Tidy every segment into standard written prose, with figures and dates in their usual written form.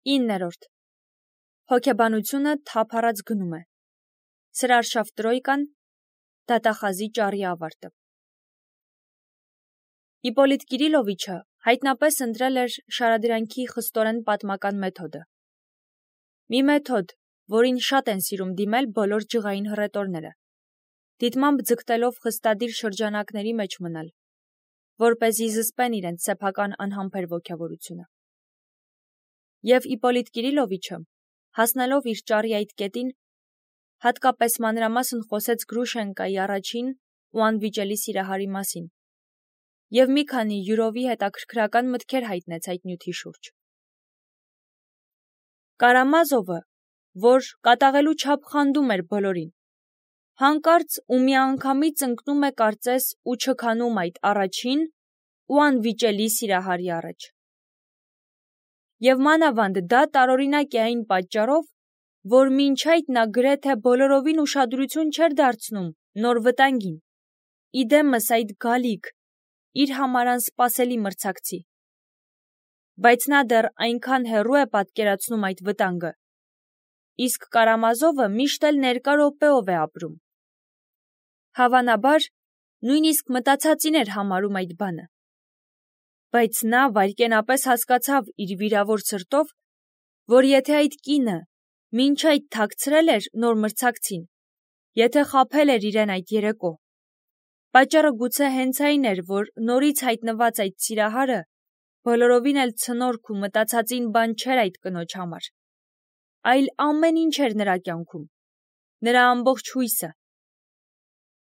9. Հոգեբանությունը թափառած գնում է։ Սրարշավ տրոյկան, դատախազի ճառի ավարտը։ Իպոլիտ Կիրիլովիչը հայտնապես ընտրել էր շարադրանքի խստորեն պատմական մեթոդը։ Մի մեթոդ, որին շատ են սիրում դիմել բոլոր ջղային հռետորները, դիտմամբ ձգտելով խստադիր շրջանակների մեջ մնալ, որպեսզի զսպեն իրենց սեփական անհամբեր ոգևորությունը։ Եվ Իպոլիտ Կիրիլովիչը, հասնելով իր ճառի այդ կետին, հատկապես մանրամասն խոսեց Գրուշենկայի առաջին ու անվիճելի սիրահարի մասին, և մի քանի յուրովի հետաքրքրական մտքեր հայտնեց այդ նյութի շուրջ։ Կարամազովը, որ կատաղելու չափ խանդում էր բոլորին, հանկարծ ու միանգամից ընկնում է կարծես ու չքանում այդ առաջին ու անվիճելի սիրահարի առաջ։ Եվ մանավանդ դա տարօրինակ է այն պատճառով, որ մինչ այդ նա գրեթե բոլորովին ուշադրություն չէր դարձնում նոր վտանգին, իդեմս այդ գալիք, իր համար անսպասելի մրցակցի։ Բայց նա դեռ այնքան հեռու է պատկերացնում այդ վտանգը, իսկ Կարամազովը միշտ էլ ներկա րոպեով է ապրում։ Հավանաբար, նույնիսկ մտածածին էր համարում այդ բանը։ Բայց նա վայրկենապես հասկացավ իր վիրավոր սրտով, որ եթե այդ կինը մինչ այդ թաքցրել էր նոր մրցակցին, եթե խաբել էր իրեն այդ երեկո, պատճառը գուցե հենց այն էր, որ նորից հայտնված այդ սիրահարը բոլորովին էլ ցնորք ու մտածածին բան չէր այդ կնոջ համար, այլ ամեն ինչ էր նրա կյանքում, նրա ամբողջ հույսը։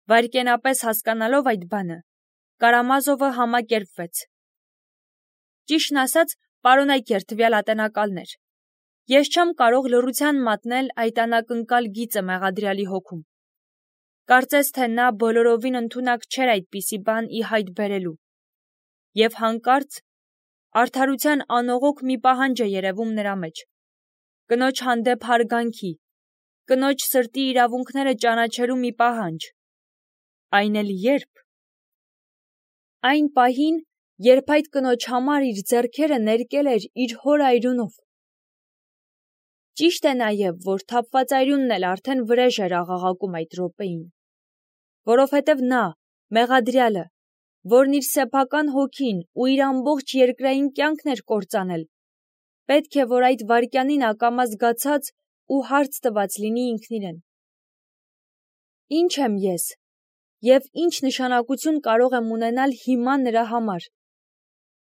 Վայրկենապես հասկանալով այդ բանը, Կարամազովը համակերպվեց։ Ճիշտն ասած, պարոնայք տվյալ ատենակալներ։ Ես չեմ կարող լռության մատնել այդ անակնկալ գիծը մեղադրյալի հոգում։ Կարծես թե նա բոլորովին ընդունակ չէր այդպիսի բան ի հայտ բերելու։ Եվ հանկարծ արդարության անողոք մի պահանջ է երևում նրա մեջ։ Կնոջ հանդեպ հարգանքի, կնոջ սրտի իրավունքները ճանաչելու մի պահանջ։ Այն էլ երբ։ Այն պահին, երբ այդ կնոջ համար իր ձեռքերը ներկել էր իր հոր այրունով։ Ճիշտ է նաև, որ թափված այրունն էլ արդեն վրեժ էր աղաղակում այդ րոպեին, որովհետև նա, մեղադրյալը, որն իր սեփական հոգին ու իր ամբողջ երկրային կյանքն էր կործանել, պետք է, որ այդ վայրկյանին ակամա զգացած ու հարց տված լինի ինքն իրեն. Ի՞նչ եմ ես, և ի՞նչ նշանակություն կարող եմ ունենալ հիմա նրա համար,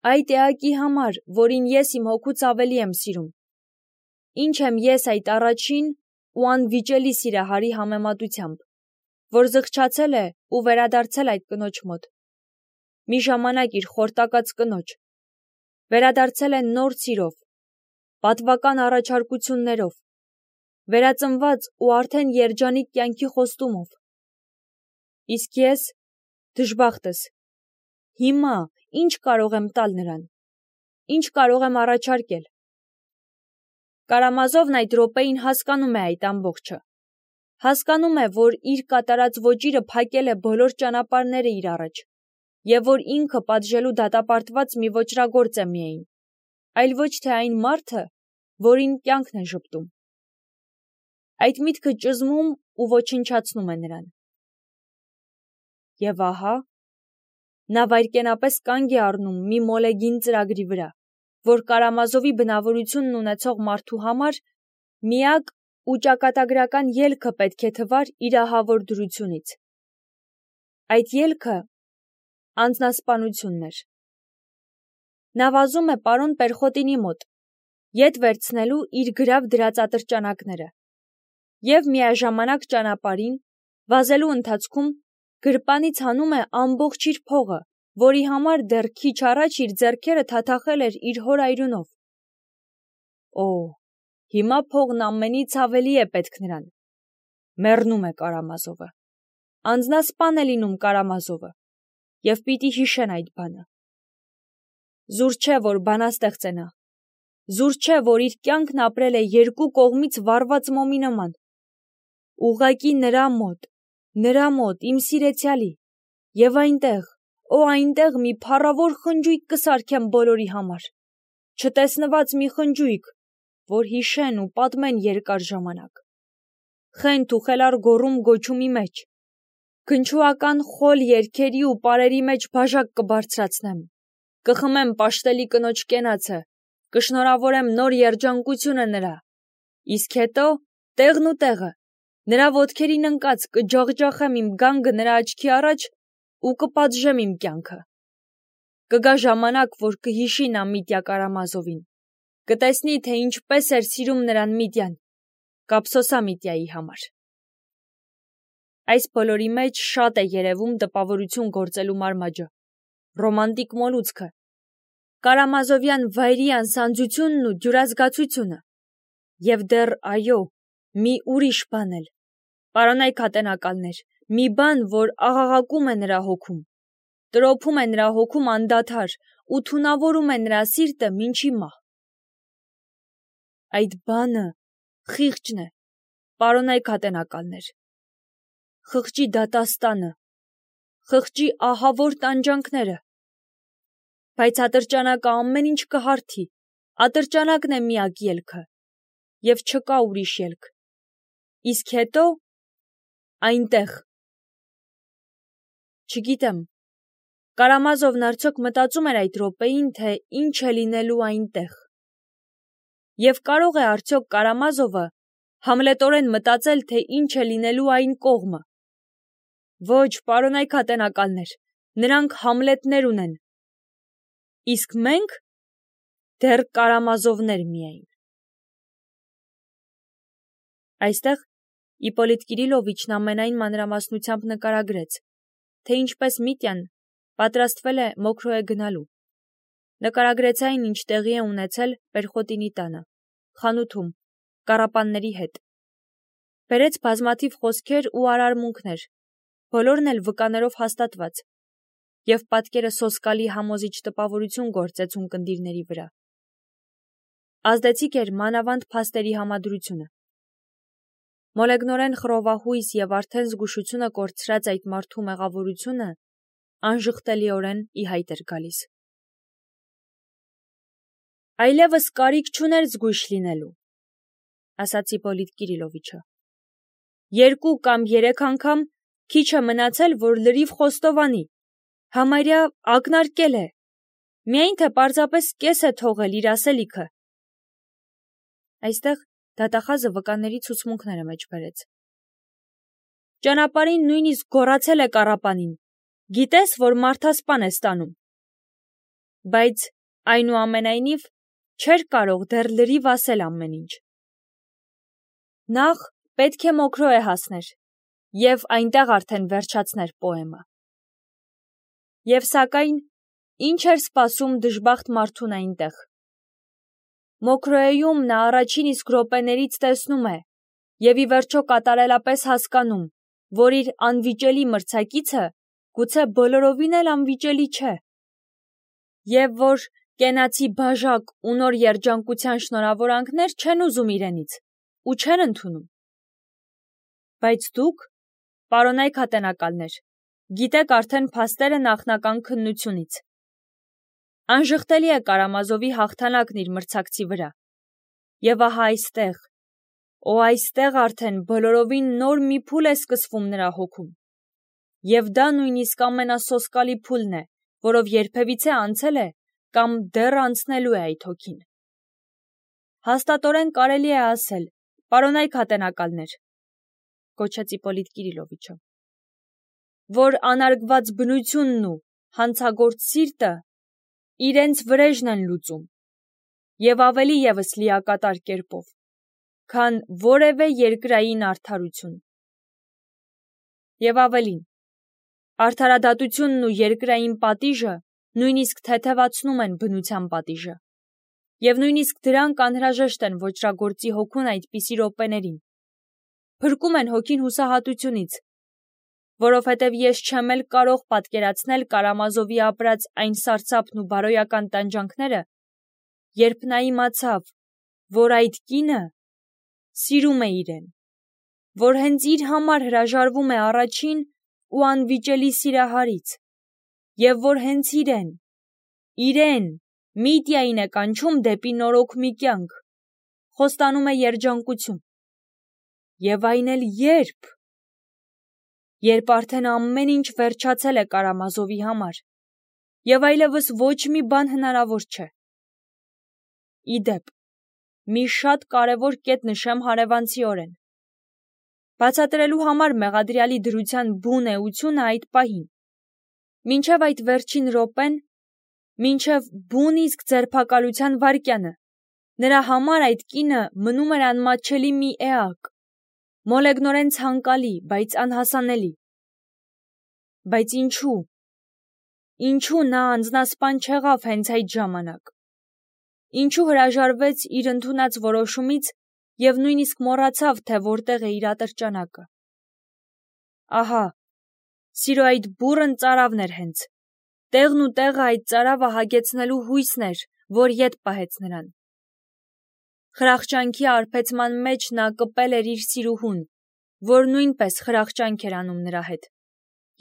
այդ էակի համար, որին ես իմ հոգուց ավելի եմ սիրում, ինչ եմ ես այդ առաջին ու անվիճելի սիրահարի համեմատությամբ, որ զղջացել է ու վերադարձել այդ կնոջ մոտ, մի ժամանակ իր խորտակած կնոջ, վերադարձել է նոր սիրով, պատվական առաջարկություններով, վերածնված ու արդեն երջանիկ կյանքի խոստումով։ Իսկ ես, դժբախտս, հիմա ինչ կարող եմ տալ նրան, ինչ կարող եմ առաջարկել։ Կարամազովն այդ րոպեին հասկանում է այդ ամբողջը, հասկանում է, որ իր կատարած ոճիրը փակել է բոլոր ճանապարհները իր առաջ, և որ ինքը պատժելու դատապարտված մի ոճրագործ է միայն, այլ ոչ թե այն մարդը, որին կյանքն է ժպտում։ Այդ միտքը ճզմում ու ոչնչացնում է նրան։ Եվ ահա, նա վայրկենապես կանգ է առնում մի մոլեգին ծրագրի վրա, որ Կարամազովի բնավորությունն ունեցող մարդու համար միակ ու ճակատագրական ելքը պետք է թվար իր ահավոր դրությունից։ Այդ ելքը անձնասպանությունն էր։ Նա վազում է պարոն Պերխոտինի մոտ, ետ վերցնելու իր գրավ դրած ատրճանակները, և միաժամանակ ճանապարհին, վազելու ընթացքում, գրպանից հանում է ամբողջ իր փողը, որի համար դեռ քիչ առաջ իր ձեռքերը թաթախել էր իր հոր այրունով։ Օ, հիմա փողն ամենից ավելի է պետք նրան։ Մեռնում է Կարամազովը։ Անձնասպան է լինում Կարամազովը, և պիտի հիշեն այդ բանը։ Զուր չէ, որ բանաստեղծ է նա։ Զուր չէ, որ իր կյանքն ապրել է երկու կողմից վառված մոմի նման։ Ուղղակի նրա մոտ, իմ սիրեցյալի, և այնտեղ, օ այնտեղ մի փառավոր խնջույք կսարքեմ բոլորի համար, չտեսնված մի խնջույք, որ հիշեն ու պատմեն երկար ժամանակ։ Խենթ ու խելար գոռում գոչումի մեջ, քնչուական խոլ երգերի ու պարերի մեջ բաժակ կբարձրացնեմ, կխմեմ պաշտելի կնոջ կենացը, կշնորհավորեմ նոր երջանկությունը նրա, իսկ հետո տեղն ու տեղը, նրա ոտքերին ընկած կջախջախեմ իմ գանգը նրա աչքի առաջ ու կպատժեմ իմ կյանքը։ Կգա ժամանակ, որ կհիշի նա Միտյա Կարամազովին, կտեսնի, թե ինչպես էր սիրում նրան Միտյան, կափսոսա Միտյայի համար։ Այս բոլորի մեջ շատ է երևում տպավորություն գործելու մարմաճը, ռոմանտիկ մոլուցքը, Կարամազովյան վայրի անսանձությունն ու ջուրազգացությունը, և դեռ այո, մի ուրիշ բան էլ, պարոնայք ատենակալներ, մի բան, որ աղաղակում է նրա հոգում, տրոփում է նրա հոգում անդադար ու թունավորում է նրա սիրտը մինչի մահ։ Այդ բանը խիղճն է, պարոնայք ատենակալներ, խղճի դատաստանը, խղճի ահավոր տանջանքները, բայց ատրճանակը ամեն ինչ կհարթի, ատրճանակն է միակ ելքը, և չկա ուրիշ ելք, իսկ հետո այնտեղ։ Չգիտեմ, Կարամազովն արդյոք մտածում էր այդ րոպեին, թե ինչ է լինելու այնտեղ։ Եվ կարող է արդյոք Կարամազովը համլետորեն մտածել, թե ինչ է լինելու այն կողմը։ Ոչ, պարոնայք ատենակալներ, նրանք Համլետներ ունեն, իսկ մենք դեռ Կարամազովներ միայն։ Այստեղ Իպոլիտ Կիրիլովիչն ամենայն մանրամասնությամբ նկարագրեց, թե ինչպես Միտյան պատրաստվել է Մոքրոյե գնալու։ Նկարագրեց այն, ինչ տեղի է ունեցել Պերխոտինի տանը, խանութում, կառապանների հետ։ Բերեց բազմաթիվ խոսքեր ու արարմունքներ, բոլորն էլ վկաներով հաստատված, և պատկերը սոսկալի համոզիչ տպավորություն գործեց ունկնդիրների վրա։ Ազդեցիկ էր մանավանդ փաստերի համադրությունը։ Մոլեգնորեն խռովահույս և արդեն զգուշությունը կորցրած այդ մարդու մեղավորությունը անժխտելիորեն ի հայտ էր գալիս։ Այլևս կարիք չուներ զգույշ լինելու, ասաց Իպոլիտ Կիրիլովիչը։ 2 կամ 3 անգամ քիչ է մնացել, որ լրիվ խոստովանի, համարյա ակնարկել է, միայն թե պարզապես կես է թողել իր ասելիքը։ Այստեղ դատախազը վկաների ցուցմունքները մեջ բերեց։ Ճանապարհին նույնիսկ գոռացել է կառապանին, գիտես, որ մարդասպան է ստանում։ Բայց այնուամենայնիվ չէր կարող դեռ լրիվ ասել ամեն ինչ։ Նախ պետք է Մոքրոյե հասներ և այնտեղ արդեն վերջացներ պոեմը։ Եվ սակայն ինչ էր սպասում դժբախտ մարդուն այնտեղ։ Մոքրոյեում նա առաջին իսկ րոպեներից տեսնում է և ի վերջո կատարելապես հասկանում, որ իր անվիճելի մրցակիցը գուցե բոլորովին էլ անվիճելի չէ, և որ կենացի բաժակ ու նոր երջանկության շնորհավորանքներ չեն ուզում իրենից ու չեն ընդունում։ Բայց դուք, պարոնայք ատենակալներ, գիտեք արդեն փաստերը նախնական քննությունից։ Անժխտելի է Կարամազովի հաղթանակն իր մրցակցի վրա։ Եվ ահա այստեղ, այստեղ արդեն բոլորովին նոր մի փուլ է սկսվում նրա հոգում։ Եվ դա նույնիսկ ամենասոսկալի փուլն է, որով երբևիցե անցել է կամ դեռ անցնելու է այդ հոգին։ Հաստատորեն կարելի է ասել, պարոնայք ատենակալներ, գոչեց Իպոլիտ Կիրիլովիչը, որ անարգված բնությունն ու հանցագործ սիրտը իրենց վրեժն են լուծում, և ավելի ևս լիակատար կերպով, քան որևէ երկրային արդարություն։ Եվ ավելին, արդարադատությունն ու երկրային պատիժը նույնիսկ թեթևացնում են բնության պատիժը, և նույնիսկ դրանք անհրաժեշտ են ոճրագործի հոգուն այդպիսի րոպեներին, փրկում են հոգին հուսահատությունից, որովհետև ես չեմ էլ կարող պատկերացնել Կարամազովի ապրած այն սարսափն ու բարոյական տանջանքները, երբ նա իմացավ, որ այդ կինը սիրում է իրեն, որ հենց իր համար հրաժարվում է առաջին ու անվիճելի սիրահարից, և որ հենց իրեն, Միտյային է կանչում դեպի նորոգ մի կյանք, խոստանում է երջանկություն։ Եվ այն էլ երբ։ Երբ արդեն ամեն ինչ վերջացել է Կարամազովի համար, եւ այլևս ոչ մի բան հնարավոր չէ։ Իդեպ, մի շատ կարևոր կետ նշեմ հարևանցիորեն։ Բացատրելու համար մեղադրյալի դրության բուն էությունը այդ պահին։ Մինչև այդ վերջին րոպեն, մինչև բուն իսկ ձերբակալության վայրկյանը, նրա համար այդ կինը մնում էր անմատչելի մի էակ, մոլեգնորեն ցանկալի, բայց անհասանելի։ Բայց ինչու։ Ինչու նա անձնասպան չեղավ հենց այդ ժամանակ։ Ինչու հրաժարվեց իր ընդունած որոշումից եւ նույնիսկ մոռացավ, թե որտեղ է իր ատրճանակը։ Ահա, սիրո այդ բուռն ծարավն էր հենց։ Տեղն ու տեղը այդ ծարավը հագեցնելու հույսն էր, որ ետ պահեց նրան։ Խրախճանքի արբեցման մեջ նա կպել էր իր սիրուհուն, որ նույնպես խրախճանք էր անում նրա հետ,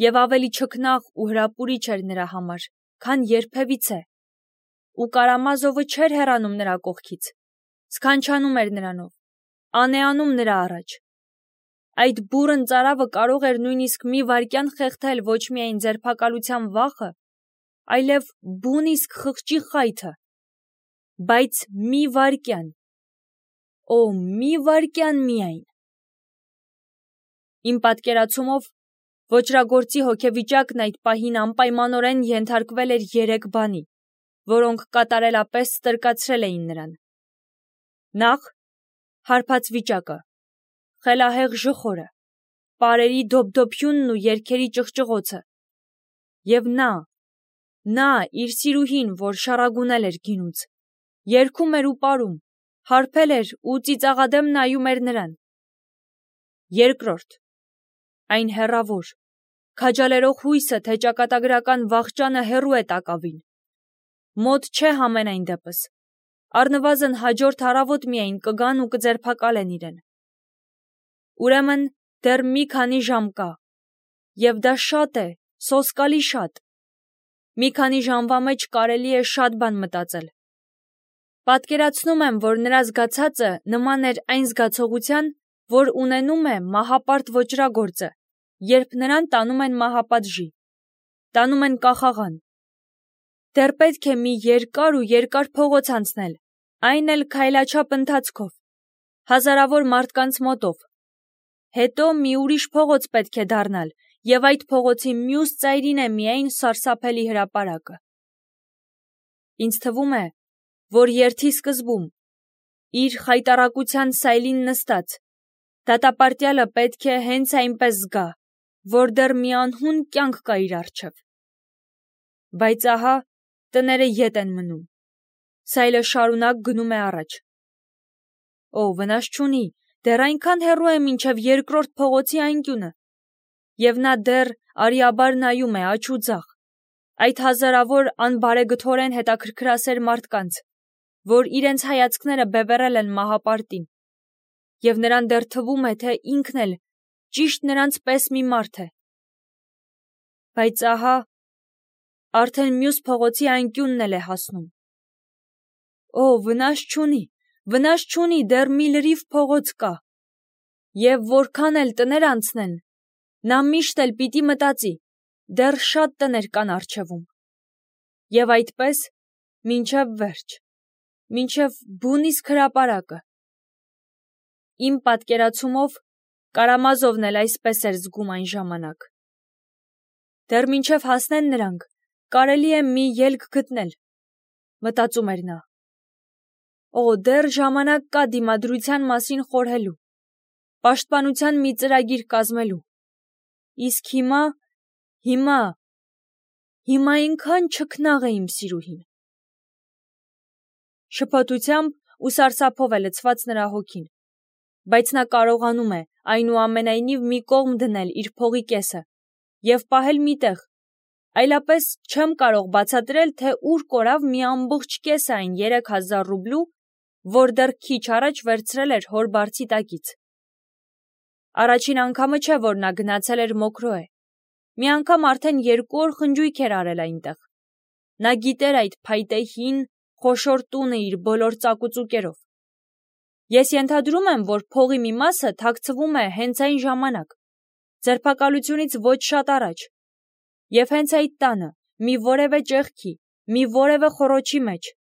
եւ ավելի չքնաղ ու հրապուրիչ էր նրա համար, քան երբևիցե։ Ու Կարամազովը չէր հեռանում նրա կողքից, սքանչանում էր նրանով, անեանում նրա առաջ։ Այդ բուռն ծարավը կարող էր նույնիսկ մի վայրկյան խեղդել ոչ միայն ձերբակալության վախը, այլև բուն իսկ խղճի խայթը, բայց մի վայրկյան, օ, մի վայրկյան միայն։ Իմ պատկերացումով ոճրագործի հոգեվիճակն այդ պահին անպայմանորեն ենթարկվել էր 3 բանի, որոնք կատարելապես ստրկացրել էին նրան։ Նախ, հարբած վիճակը, խելահեղ ժխորը, պարերի դոփդոփյունն ու երգերի ճղճղոցը, եւ նա, իր սիրուհին, որ շառագունել էր գինուց, երգում էր ու պարում, հարբել էր ու ծիծաղադեմ նայում էր նրան։ Երկրորդ, այն հեռավոր, քաջալերող հույսը, թե ճակատագրական վախճանը հեռու է տակավին, մոտ չէ համենայն դեպս, առնվազն հաջորդ առավոտ միայն կգան ու կձերբակալեն իրեն։ Ուրեմն դեռ մի քանի ժամ կա, եւ դա շատ է, սոսկալի շատ։ Մի քանի ժամվա մեջ կարելի է շատ բան մտածել։ Պատկերացնում եմ, որ նրա զգացածը նման էր այն զգացողության, որ ունենում է մահապարտ ոճրագործը, երբ նրան տանում են մահապատժի, տանում են կախաղան։ Դեռ պետք է մի երկար փողոց անցնել, այն էլ քայլաչափ ընթացքով, հազարավոր մարդկանց մոտով։ Հետո մի ուրիշ փողոց պետք է դառնալ, եւ այդ փողոցի մյուս ծայրին է միայն սարսափելի հրապարակը։ Ինձ թվում է, որ երթի սկզբում, իր խայտառակության սայլին նստած, դատապարտյալը պետք է հենց այնպես զգա, որ դեռ մի անհուն կյանք կա իր առջև։ Բայց ահա, տները ետ են մնում, սայլը շարունակ գնում է առաջ։ Օ, վնաս չունի, դեռ այնքան հեռու է մինչև երկրորդ փողոցի անկյունը, եւ նա դեռ արիաբար նայում է աջ ու ձախ, այդ հազարավոր անբարեգթորեն հետաքրքրասեր մարդկանց, որ իրենց հայացքները բևեռել են մահապարտին, եւ նրան դեռ թվում է, թե ինքն էլ ճիշտ նրանց պես մի մարդ է։ Բայց ահա, արդեն մյուս փողոցի անկյունն էլ է հասնում։ Օ, վնաս չունի, դեռ մի լրիվ փողոց կա։ Եվ որքան էլ տներ անցնեն, նա միշտ էլ պիտի մտածի, դեռ շատ տներ կան առջևում։ Եվ այդպես, մինչև վերջ, մինչև բուն իսկ հրապարակը։ Իմ պատկերացումով Կարամազովն էլ այսպես էր զգում այն ժամանակ։ Դեռ մինչև հասնեն նրանք, կարելի է մի ելք գտնել, մտածում էր նա։ Օ, դեռ ժամանակ կա դիմադրության մասին խորհելու, պաշտպանության մի ծրագիր կազմելու։ Իսկ հիմա ինքան չքնաղ է իմ սիրուհին։ Շփոթությամբ ու սարսափով է լցված նրա հոգին, բայց նա կարողանում է այնուամենայնիվ մի կողմ դնել իր փողի կեսը եւ պահել միտեղ, այլապես չեմ կարող բացատրել, թե ուր կորավ մի ամբողջ կեսը այն 3000 ռուբլու, որ դեռ քիչ առաջ վերցրել էր հոր բարձի տակից։ Առաջին անգամը չէ, որ նա գնացել էր Մոկրոե, մի անգամ արդեն 2 օր խնջույք էր արել այնտեղ։ Նա գիտեր այդ փայտե հին, խոշոր տունը իր բոլոր ծակուծուկերով։ Ես ենթադրում եմ, որ փողի մի մասը թաքցվում է հենց այն ժամանակ, ձերբակալությունից ոչ շատ առաջ, և հենց այդ տանը, մի որևէ ճեղքի, մի որևէ խոռոչի մեջ,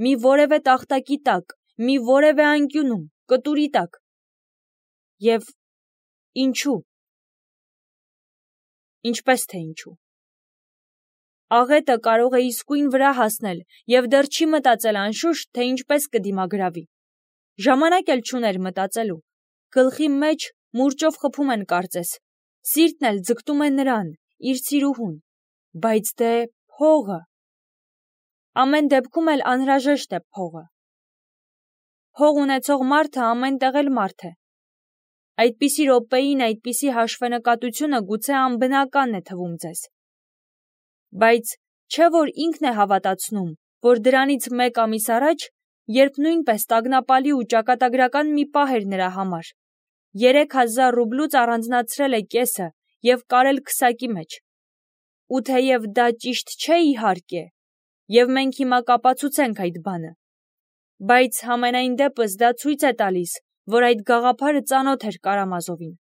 մի որևէ տախտակի տակ, մի որևէ անկյունում, կտուրի տակ։ Եվ ինչու։ Ինչպես թե ինչու։ Աղետը կարող է իսկույն վրա հասնել և դեռ չի մտածել անշուշտ, թե ինչպես կդիմագրավի։ Ժամանակ էլ չուներ մտածելու, գլխի մեջ մուրճով խփում են կարծես, սիրտն էլ ձգտում է նրան, իր սիրուհուն, բայց դե փողը։ Ամեն դեպքում էլ անհրաժեշտ է փողը։ Փող ունեցող մարդը ամենտեղ էլ մարդ է։ Այդպիսի րոպեին այդպիսի հաշվենկատությունը գուցե անբնական է թվում ձեզ։ Բայց չէ՞ որ ինքն է հավատացնում, որ դրանից 1 ամիս առաջ, երբ նույնպես տագնապալի ու ճակատագրական մի պահ էր նրա համար, 3000 ռուբլուց առանձնացրել է կեսը և կարել քսակի մեջ։ Ու թեև դա ճիշտ չէ իհարկե, և մենք հիմա կապացուցենք այդ բանը, բայց համենայն դեպս դա ցույց է տալիս, որ այդ գաղափարը ծանոթ էր Կարամազովին։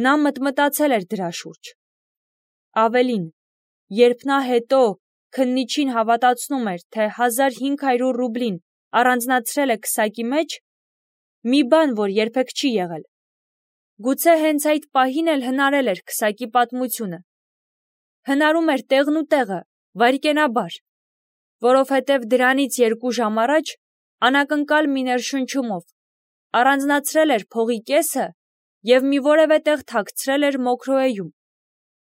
Նա մտմտացել էր դրա շուրջ։ Ավելին, երբ նա հետո քննիչին հավատացնում էր, թե 1500 ռուբլին առանձնացրել է քսակի մեջ, մի բան, որ երբեք չի եղել, գուցե հենց այդ պահին էլ հնարել էր քսակի պատմությունը։ Հնարում էր տեղն ու տեղը, վայրկենաբար, որովհետև դրանից 2 ժամ առաջ, անակնկալ մի ներշնչումով, առանձնացրել էր փողի կեսը և մի որևէ տեղ թաքցրել էր մոքրոեում,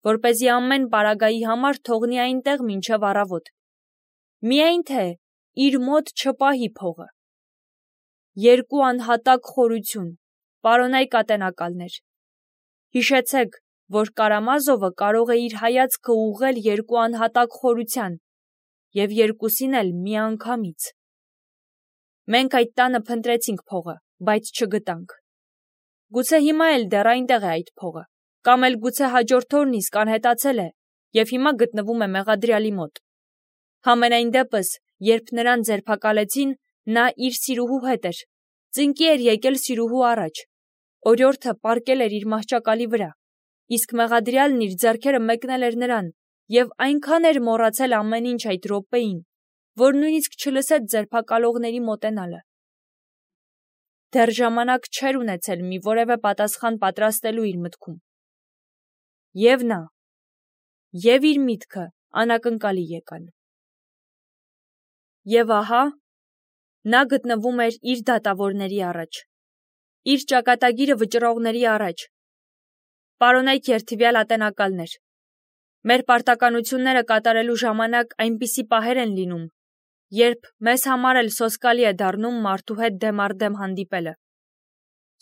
որպեսզի ամեն պարագայի համար թողնի այնտեղ մինչև առավոտ։ Միայն թե իր մոտ չպահի փողը։ 2 անհատակ խորություն, պարոնայք ատենակալներ։ Հիշեցեք, որ Կարամազովը կարող է իր հայացքը ուղղել 2 անհատակ խորության և երկուսին էլ միանգամից։ Մենք այդ տանը փնտրեցինք փողը, բայց չգտանք։ Գուցե հիմա էլ դեռ այնտեղ է այդ փողը, կամ էլ գուցե հաջորդ օրն իսկ անհետացել է և հիմա գտնվում է մեղադրյալի մոտ։ Համենայն դեպս, երբ նրան ձերբակալեցին, նա իր սիրուհու հետ էր, ծնկի էր եկել սիրուհու առաջ, օրիորդը պառկել էր իր մահճակալի վրա, իսկ մեղադրյալն իր ձեռքերը մեկնել էր նրան և այնքան էր մոռացել ամեն ինչ այդ րոպեին, որ նույնիսկ չլսեց ձերբակալողների մոտենալը։ Դեռ ժամանակ չէր ունեցել մի որևէ պատասխան պատրաստելու իր մտքում։ Եվ նա, և իր միտքը անակնկալի եկան։ Եվ ահա, նա գտնվում էր իր դատավորների առաջ, իր ճակատագիրը վճռողների առաջ։ Պարոնայք երդվյալ ատենակալներ, մեր պարտականությունները կատարելու ժամանակ այնպիսի պահեր են լինում, երբ մեզ համար էլ սոսկալի է դառնում մարդու հետ դեմ առ դեմ հանդիպելը։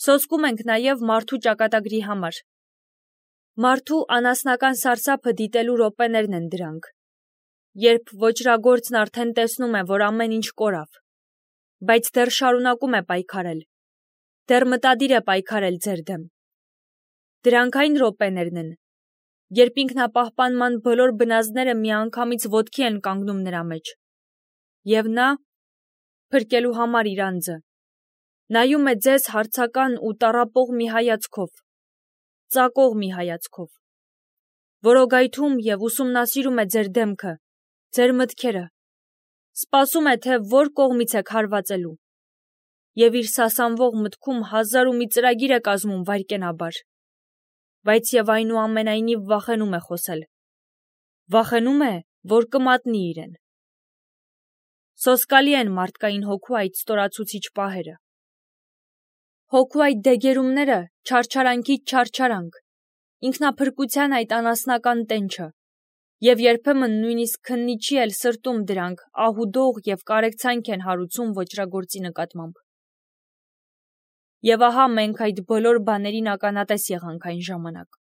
Սոսկում ենք նաև մարդու ճակատագրի համար։ Մարդու անասնական սարսափը դիտելու րոպեներն են դրանք, երբ ոճրագործն արդեն տեսնում է, որ ամեն ինչ կորավ, բայց դեռ շարունակում է պայքարել, դեռ մտադիր է պայքարել ձեր դեմ։ Դրանք այն րոպեներն են, երբ ինքնապահպանման բոլոր բնազդները միանգամից ոտքի են կանգնում նրա մեջ, և նա, փրկելու համար իր անձը, նայում է ձեզ հարցական ու տառապող մի հայացքով, ծակող մի հայացքով, որոգայթում և ուսումնասիրում է ձեր դեմքը, ձեր մտքերը, սպասում է, թե որ կողմից եք հարվածելու, և իր սասանվող մտքում 1000 ու մի ծրագիր է կազմում վայրկենաբար, բայց և այնուամենայնիվ վախենում է խոսել, վախենում է, որ կմատնի իրեն։ Սոսկալի են մարդկային հոգու այդ ստորացուցիչ պահերը։ Հոգու այդ դեգերումները չարչարանքից չարչարանք, ինքնափրկության այդ անասնական տենչը, և երբեմն նույնիսկ քննիչի էլ սրտում դրանք ահուդող և կարեկցանք են հարուցում ոճրագործի նկատմամբ։ Եվ ահա մենք այդ բոլոր բաներին ականատես եղանք այն ժամանակ։